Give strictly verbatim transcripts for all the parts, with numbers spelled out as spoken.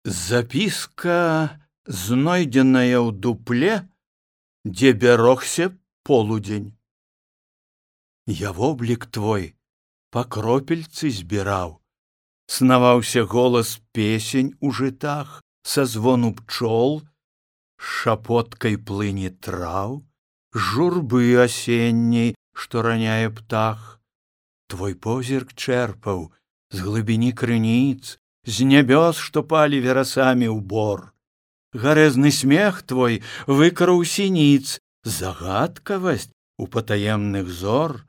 Записка, знойдзеная ў дупле, дзе бярогся полудзень. Я воблік твой па кропельцы збіраў, снаваўся голас песень у жытах, са звону пчол, шапоткай плыні траў, журбы асенняй, што раняе птах. Твой позірк чэрпаў з глыбіні крыніц, з нябёс, што палі верасамі ў бор. Гарэзны смех твой выкараў сініц, загадкавасць у патаемных зор,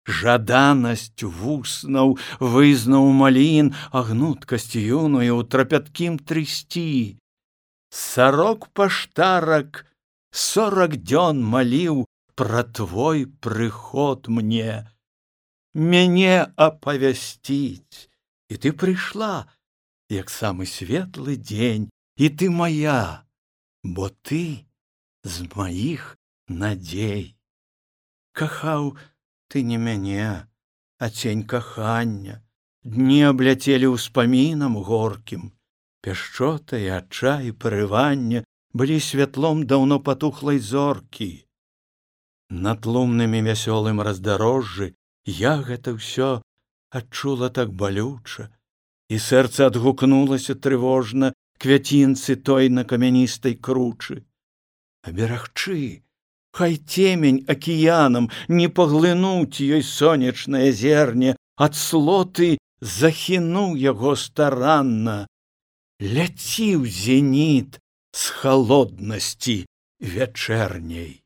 жаданасць вуснаў вызнаў малін, а гнуткасць юную ў трапяткім трысці. Сарок паштарак сорак дзён маліў пра твой прыход мне, мяне апавясціць, і ты прыйшла, як самы светлы дзень, і ты моя, бо ты з маіх надзей. Кахаў ты не мяне, а цень кахання, дні абляцелі ўспамінам горкім, пяшчота і адчай і парывання былі святлом даўно патухлай зоркі. На тлумным і вясёлым раздарожжы я гэта ўсё адчула так балюча, і сэрца адгукнулася трывожна квяцінцы той на камяністай кручы. Аберагчы, хай цемень акіянам не паглынуць ёй сонечнае зерне, ад слоты захінуў яго старанна, ляці ў зеніт з халоднасці вячэрняй.